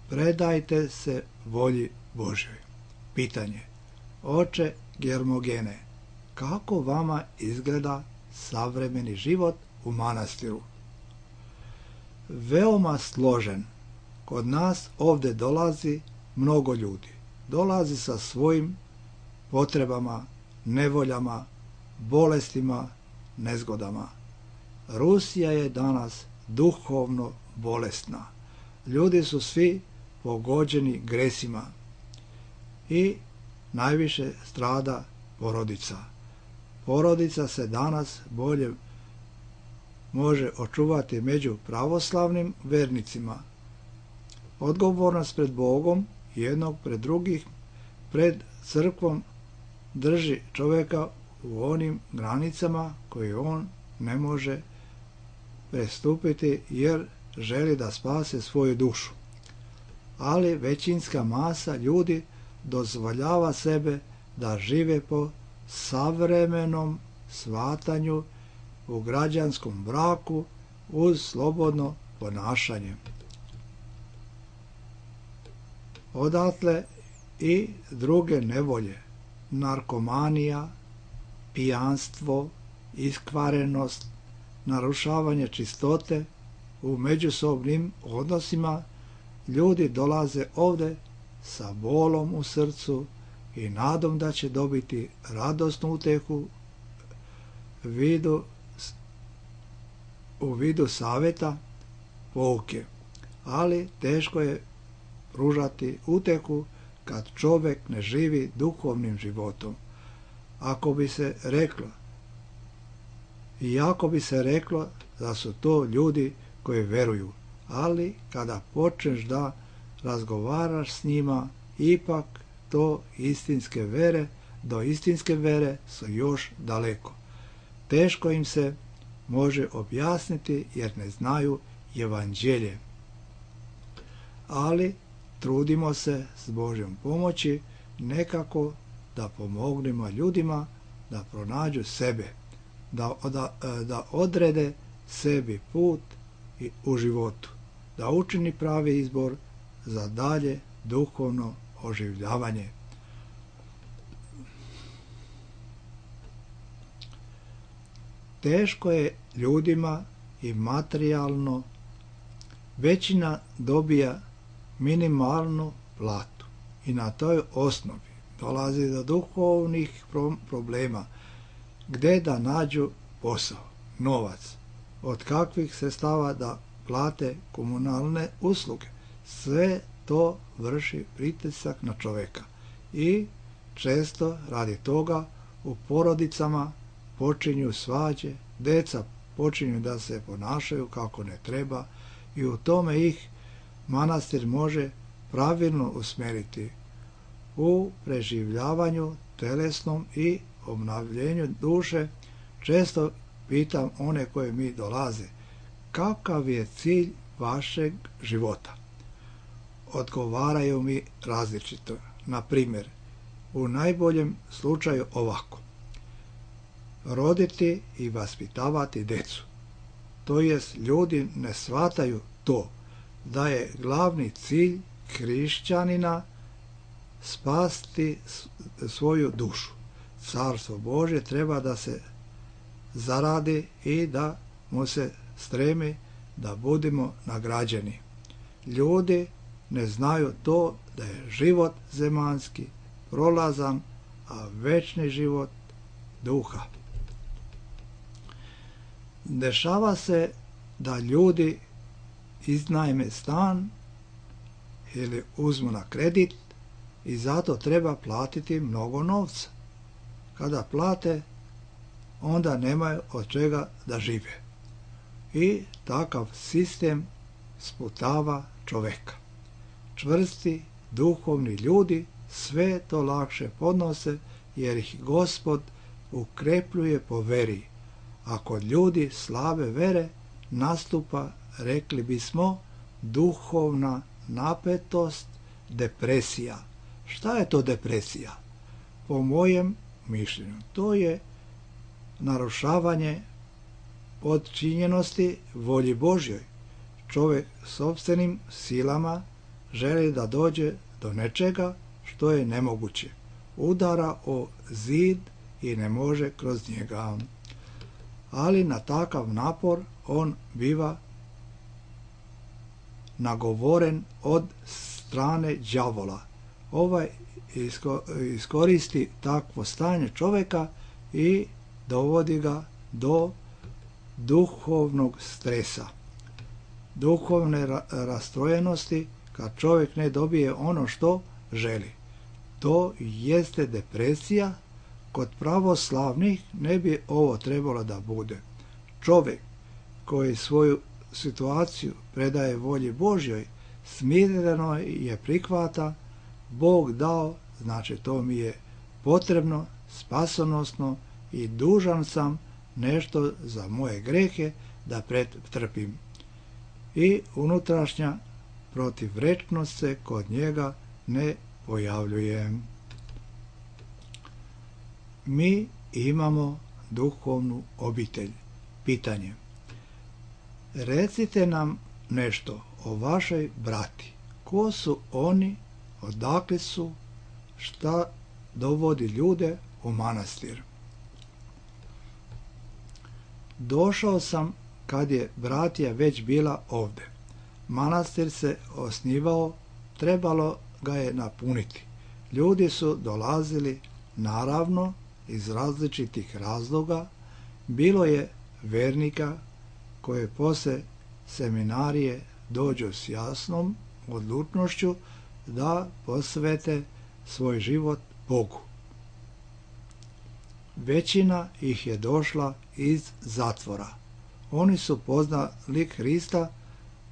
Predajte se volji Božjoj. Pitanje. Oče Germogene, kako vama izgleda savremeni život u manastiru? Veoma složen. Kod nas ovdje dolazi mnogo ljudi. Dolazi sa svojim potrebama, nevoljama, bolestima, nezgodama. Rusija je danas duhovno bolesna. Ljudi su svi pogođeni gresima i najviše strada porodica. Porodica se danas bolje može očuvati među pravoslavnim vernicima. Odgovornost pred Bogom, jednog pred drugih, pred crkvom drži čovjeka u onim granicama koje on ne može prestupiti jer želi da spase svoju dušu. Ali većinska masa ljudi dozvoljava sebe da žive po savremenom shvatanju u građanskom braku uz slobodno ponašanje. Odatle i druge nevolje, narkomanija, pijanstvo, iskvarenost, narušavanje čistote u međusobnim odnosima. Ljudi dolaze ovdje sa bolom u srcu i nadom da će dobiti radosnu utehu vidu, u vidu savjeta, pouke. Ali teško je pružati utehu kad čovjek ne živi duhovnim životom. Ako bi se reklo, i ako bi se reklo da su to ljudi koji veruju, ali kada počneš da razgovaraš s njima, ipak to istinske vere, do istinske vere su još daleko. Teško im se može objasniti jer ne znaju evanđelje. Ali trudimo se s Božjom pomoći nekako da pomognemo ljudima da pronađu sebe, da, da, da odrede sebi put i u životu, da učini pravi izbor za dalje duhovno oživljavanje. Teško je ljudima i materijalno. Većina dobija minimalnu platu i na toj osnovi dolazi do duhovnih problema. Gde da nađu posao, novac, od kakvih sredstava da plate komunalne usluge. Sve to vrši pritisak na čovjeka i često radi toga u porodicama počinju svađe, deca počinju da se ponašaju kako ne treba i u tome ih manastir može pravilno usmjeriti u preživljavanju telesnom i obnavljenju duše. Često pitam one koje mi dolaze, kakav je cilj vašeg života? Odgovaraju mi različito. Na primjer, u najboljem slučaju ovako: roditi i vaspitavati decu. To jest, ljudi ne shvataju to da je glavni cilj hrišćanina spasti svoju dušu. Carstvo Božje treba da se zaradi i da mu se stremi da budemo nagrađeni. Ljudi ne znaju to da je život zemaljski prolazan, a večni život duha. Dešava se da ljudi iznajme stan ili uzmu na kredit i zato treba platiti mnogo novca. Kada plate, onda nemaju od čega da žive. I takav sistem sputava čovjeka. Čvrsti duhovni ljudi sve to lakše podnose, jer ih Gospod ukrepljuje po veri. A kod ljudi slabe vere nastupa, rekli bismo, duhovna napetost, depresija. Šta je to depresija? Po mojem mišljenju, to je narušavanje podčinjenosti volji Božjoj. Čovjek sopstvenim silama želi da dođe do nečega što je nemoguće. Udara o zid i ne može kroz njega. Ali na takav napor on biva nagovoren od strane đavola. Ovaj iskoristi takvo stanje čovjeka i dovodi ga do duhovnog stresa, duhovne rastrojenosti, kad čovjek ne dobije ono što želi. To jeste depresija. Kod pravoslavnih ne bi ovo trebalo da bude. Čovjek koji svoju situaciju predaje volji Božjoj, smireno je prihvata, Bog dao, znači to mi je potrebno, spasonosno i dužan sam nešto za moje grehe da pretrpim. I unutrašnja protivrečnost se kod njega ne pojavljuje. Mi imamo duhovnu obitelj. Pitanje. Recite nam nešto o vašoj brati. Ko su oni, odakle su, šta dovodi ljude u manastir? Došao sam kad je bratija već bila ovde. Manastir se osnivao, trebalo ga je napuniti. Ljudi su dolazili, naravno, iz različitih razloga. Bilo je vernika koje posle seminarije dođu s jasnom odlučnošću da posvete svoj život Bogu. Većina ih je došla iz zatvora. Oni su poznali Hrista,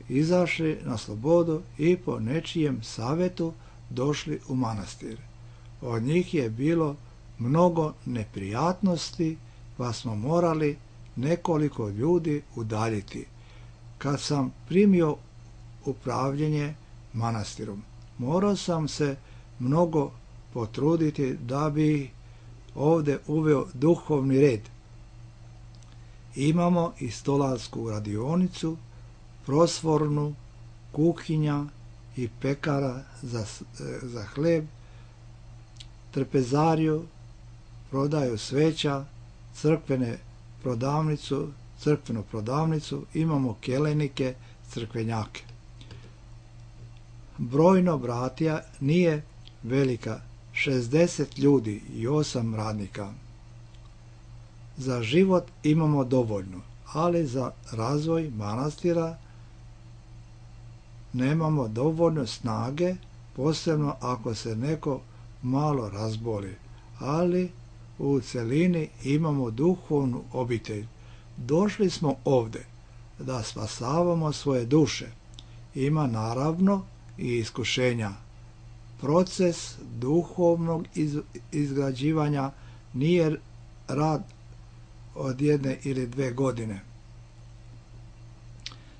izašli na slobodu i po nečijem savjetu došli u manastir. Od njih je bilo mnogo neprijatnosti, pa smo morali nekoliko ljudi udaljiti. Kad sam primio upravljanje manastirom, morao sam se mnogo potruditi da bi ovdje uveo duhovni red. Imamo i stolarsku radionicu, prosvornu, kuhinja i pekara za, za hleb, trpezariju, prodaju sveća, crkvene prodavnicu, crkvenu prodavnicu, imamo kelenike, crkvenjake. Brojno bratija nije velika, šezdeset ljudi i osam radnika. Za život imamo dovoljno, ali za razvoj manastira nemamo dovoljno snage, posebno ako se neko malo razboli, ali u celini imamo duhovnu obitelj. Došli smo ovde da spasavamo svoje duše. Ima naravno i iskušenja. Proces duhovnog iz, izgrađivanja nije rad od jedne ili dve godine.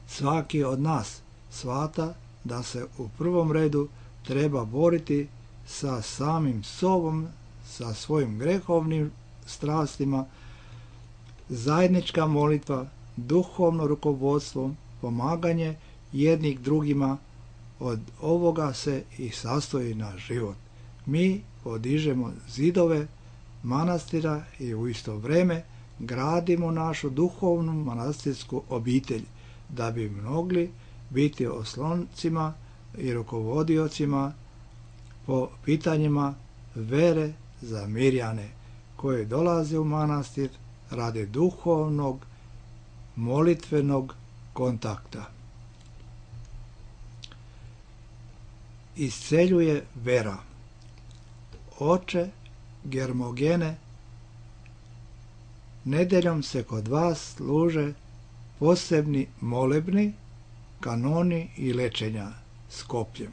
Svaki od nas shvata da se u prvom redu treba boriti sa samim sobom, sa svojim grehovnim strastima, zajednička molitva, duhovno rukovodstvo, pomaganje jednih drugima, od ovoga se i sastoji naš život. Mi podižemo zidove manastira i u isto vrijeme gradimo našu duhovnu manastirsku obitelj, da bi mogli biti osloncima i rukovodiocima po pitanjima vere za mirjane koje dolaze u manastir radi duhovnog, molitvenog kontakta. Isceljuje vera. Oče Germogene, nedeljom se kod vas služe posebni molebni, kanoni i lečenja s kopljem.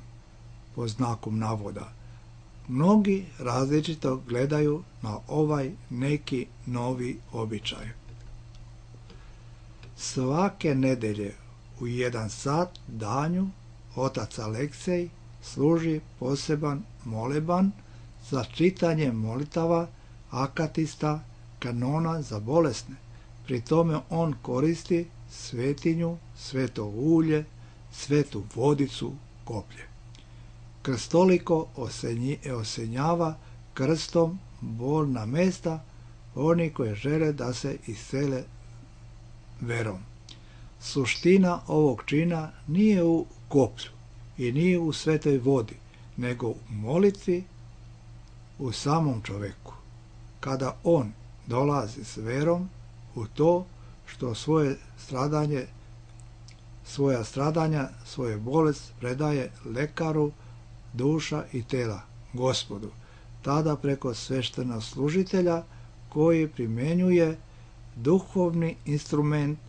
pod znakom navoda. Mnogi različito gledaju na ovaj neki novi običaj. Svake nedelje u jedan sat danju otac Aleksej služi poseban moleban za čitanje molitava akatista kanona za bolesne. Pri tome on koristi svetinju, sveto ulje, svetu vodicu, koplje. Krstoliko osenjava krstom bolna mesta oni koji žele da se iscele verom. Suština ovog čina nije u koplju i nije u svetoj vodi, nego u molitvi u samom čoveku. Kada on dolazi s verom u to što svoje stradanje, svoja stradanja, svoje bolest predaje lekaru duša i tela, Gospodu, tada preko sveštenoslужitelja koji primjenjuje duhovni instrument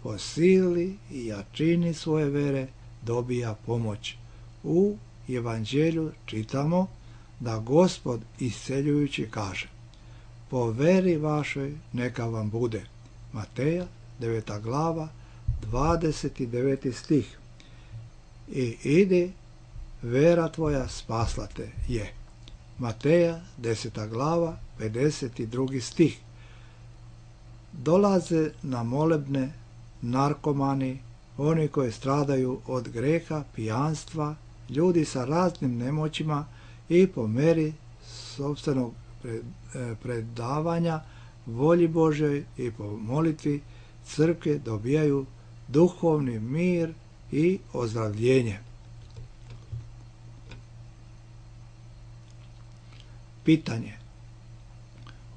po sili i jačini svoje vere dobija pomoć. U Evanđelju čitamo da Gospod isceljujući kaže: po veri vašoj neka vam bude. Mateja deveta glava dvadeset deveti stih. I idi, vera tvoja spasla te je. Mateja deseta glava pedeset drugi stih. Dolaze na molebne narkomani, oni koji stradaju od greha, pijanstva, ljudi sa raznim nemoćima i po meri sopstvenog predavanja volji Božoj i po molitvi crkve dobijaju duhovni mir i ozdravljenje. Pitanje.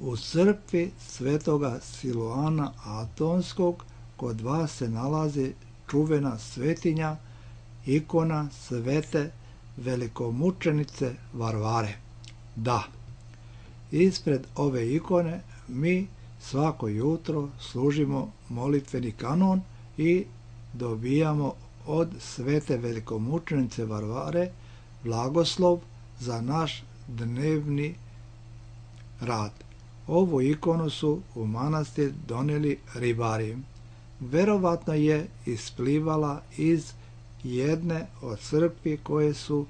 U crkvi svetoga Siloana Atonskog kod vas se nalazi čuvena svetinja, ikona svete velikomučenice Varvare. Da, ispred ove ikone mi svako jutro služimo molitveni kanon i dobijamo od svete velikomučenice Varvare blagoslov za naš dnevni rad. Ovu ikonu su u manastir doneli ribari. Verovatno je isplivala iz jedne od crkvi koje su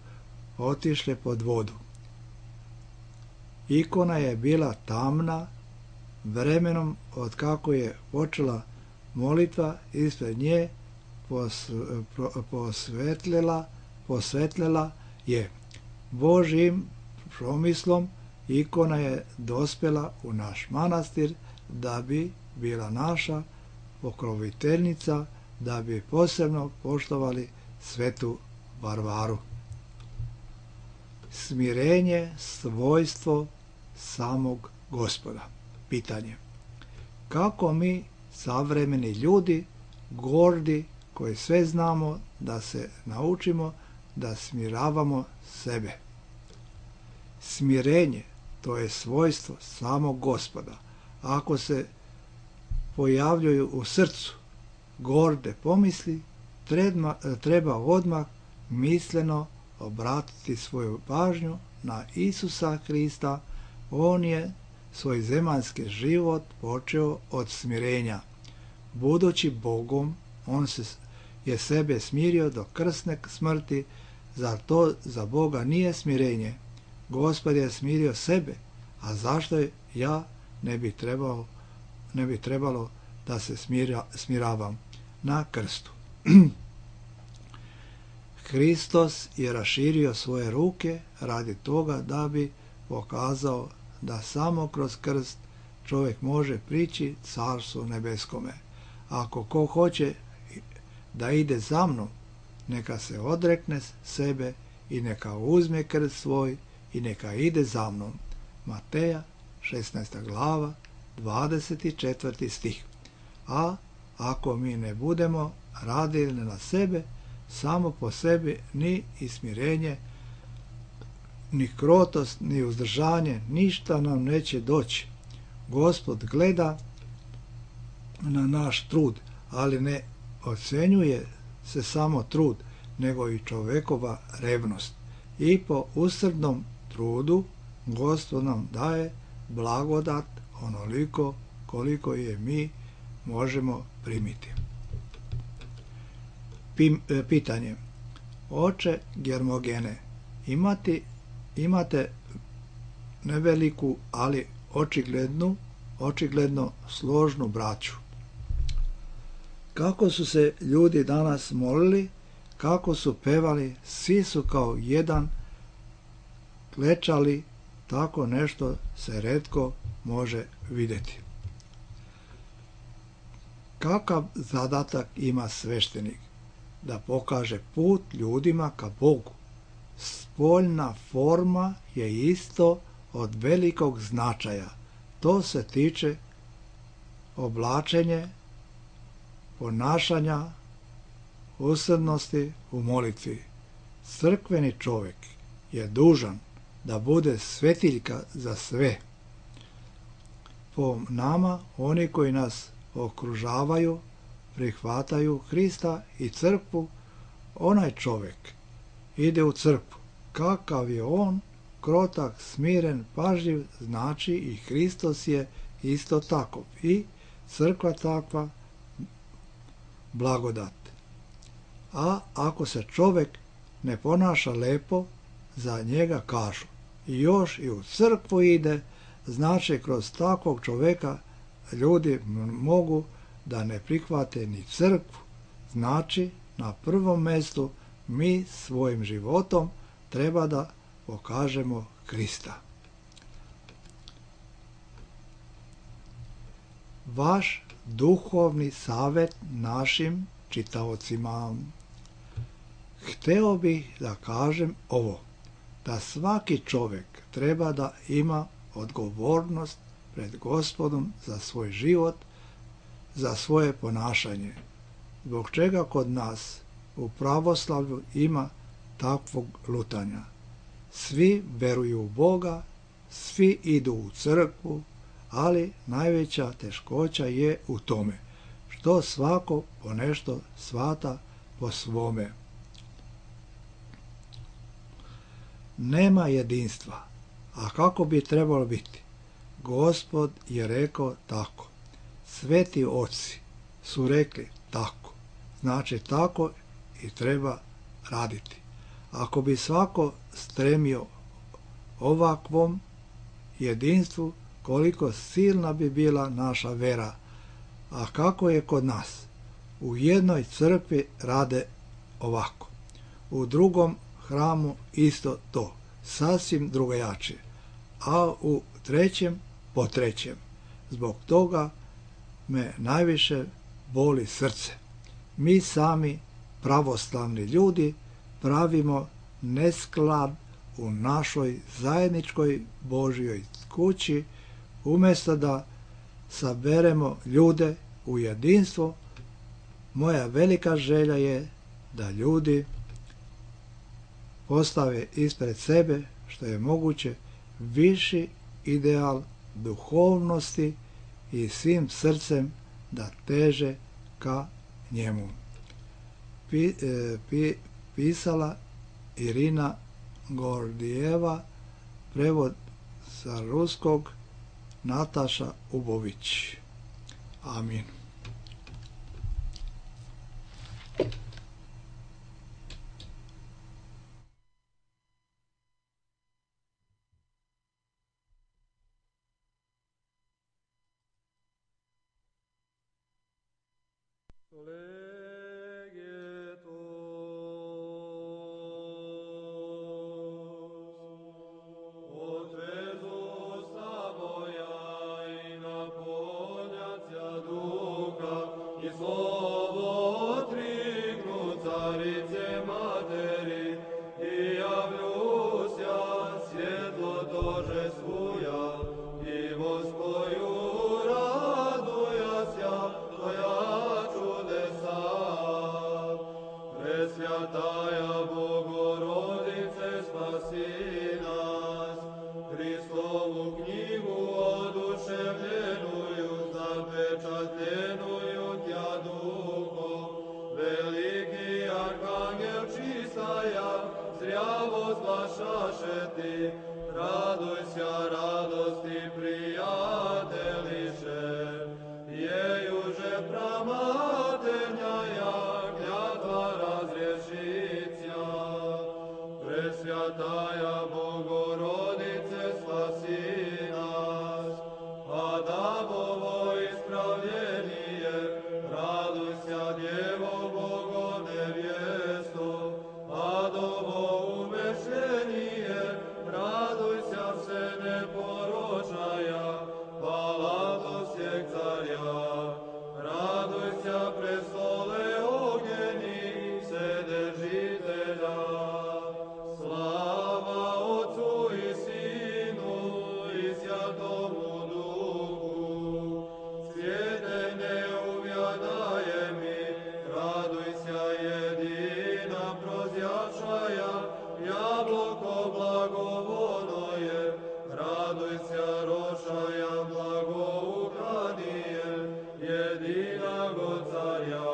otišle pod vodu. Ikona je bila tamna, vremenom od kako je počela molitva ispred nje posvetljela, posvetljela je. Božjim promislom ikona je dospela u naš manastir da bi bila naša pokroviteljnica, da bi posebno poštovali svetu Varvaru. Smirenje, svojstvo samog Gospoda. Pitanje. Kako mi, savremeni ljudi, gordi, koji sve znamo, da se naučimo da smiravamo sebe? Smirenje, to je svojstvo samog Gospoda. Ako se pojavljuju u srcu gorde pomisli, treba, treba odmah misleno obratiti svoju pažnju na Isusa Hrista. On je svoj zemaljski život počeo od smirenja. Budući Bogom, on se je sebe smirio do krsne smrti. Zar to za Boga nije smirenje? Gospod je smirio sebe, a zašto ja ne bi trebao, ne bi trebalo da se smira, smiravam? Na krstu. Hristos je raširio svoje ruke radi toga da bi pokazao da samo kroz krst čovjek može prići carstvu nebeskome. Ako ko hoće da ide za mnom, neka se odrekne sebe i neka uzme krst svoj i neka ide za mnom. Mateja šesnaesta glava dvadeset četvrti stih. A ako mi ne budemo radili na sebe, samo po sebi ni ismirenje, ni krotost, ni uzdržanje, ništa nam neće doći. Gospod gleda na naš trud, ali ne ocenjuje se samo trud, nego i čovekova revnost. i po usrdnom trudu Gospod nam daje blagodat onoliko koliko je mi možemo primiti. Pitanje. Oče Germogene, imati, imate neveliku, ali očiglednu, očigledno složnu braću. Kako su se ljudi danas molili, kako su pevali, svi su kao jedan klečali, tako nešto se retko može vidjeti. Kakav zadatak ima sveštenik? Da pokaže put ljudima ka Bogu. Spoljna forma je isto od velikog značaja. To se tiče oblačenje, ponašanja, usrdnosti u molitvi. Crkveni čovjek je dužan da bude svetiljka za sve. Po nama, oni koji nas okružavaju, prihvataju Hrista i crkvu, onaj čovjek ide u crkvu. Kakav je on, krotak, smiren, pažljiv, znači i Hristos je isto tako. I crkva takva, blagodat. A ako se čovjek ne ponaša lepo, za njega kažu i još i u crkvu ide, znači kroz takvog čovjeka ljudi mogu da ne prihvate ni crkvu. Znači, na prvom mjestu mi svojim životom treba da pokažemo Krista. Vaš duhovni savjet našim čitaocima. Hteo bih da kažem ovo, da svaki čovjek treba da ima odgovornost pred Gospodom za svoj život, za svoje ponašanje. Zbog čega kod nas u pravoslavlju ima takvog lutanja. Svi veruju u Boga, svi idu u crkvu, ali najveća teškoća je u tome što svako ponešto svata po svome. Nema jedinstva, a kako bi trebalo biti? Gospod je rekao tako. Sveti oci su rekli tako. Znači tako i treba raditi. Ako bi svako stremio ovakvom jedinstvu, koliko silna bi bila naša vera. A kako je kod nas? U jednoj crkvi rade ovako. U drugom hramu isto to. Sasvim drugačije. A u trećem po trećem. Zbog toga me najviše boli srce. Mi sami, pravoslavni ljudi, pravimo nesklad u našoj zajedničkoj Božjoj kući, umjesto da saberemo ljude u jedinstvo. Moja velika želja je da ljudi postave ispred sebe što je moguće viši ideal duhovnosti i svim srcem da teže ka njemu. Pi, e, pi, pisala Irina Gordijeva, prevod sa ruskog Nataša Ubović. Amin.
Господju radujas ja, to ja čudesa čaše ti, radujся, radosti prijateljiše, jej уже pramatelja, klятва razrješića. Presvjataja Bogorodice, spasi nas, a dabovo ispravljenije, radujся, Djevo Bogo nevjesto, a dovo umešljenije, radujся se neporočaja, hvala do svijeg carja. Radujся, prestole ognjeni, Vседержitelja. Slava Otcu i Sinu i Svjatomu Duhu, svijete neuvjadaje mi, radujся, jedina prozjačaja, jabloko blagovono je, radujся, rošaja blagoukranije, jedinago carja.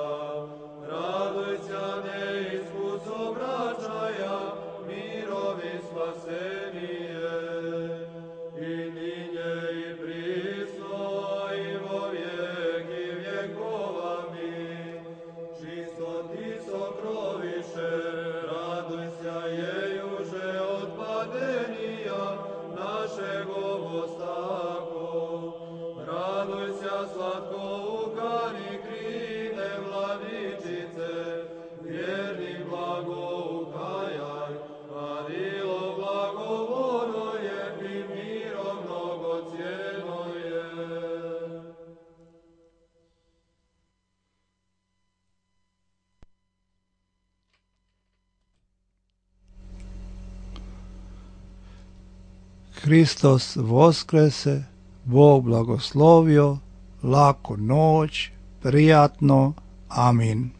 Radujся, neiskus obraćaja, mirovi spasenije, i ninje i prisno i vo vijeki vjekova mi. Čisto ti sokroviše, radujся, jejuže odpadenija našego ostako. Radujся, slatko ukani krine Vladičice, vjerni blagoukajaj, vadilo blagovono je i miro mnogocjeno je.
Hristos voskrese, Bog blagoslovio, laku noć, prijatno, amin.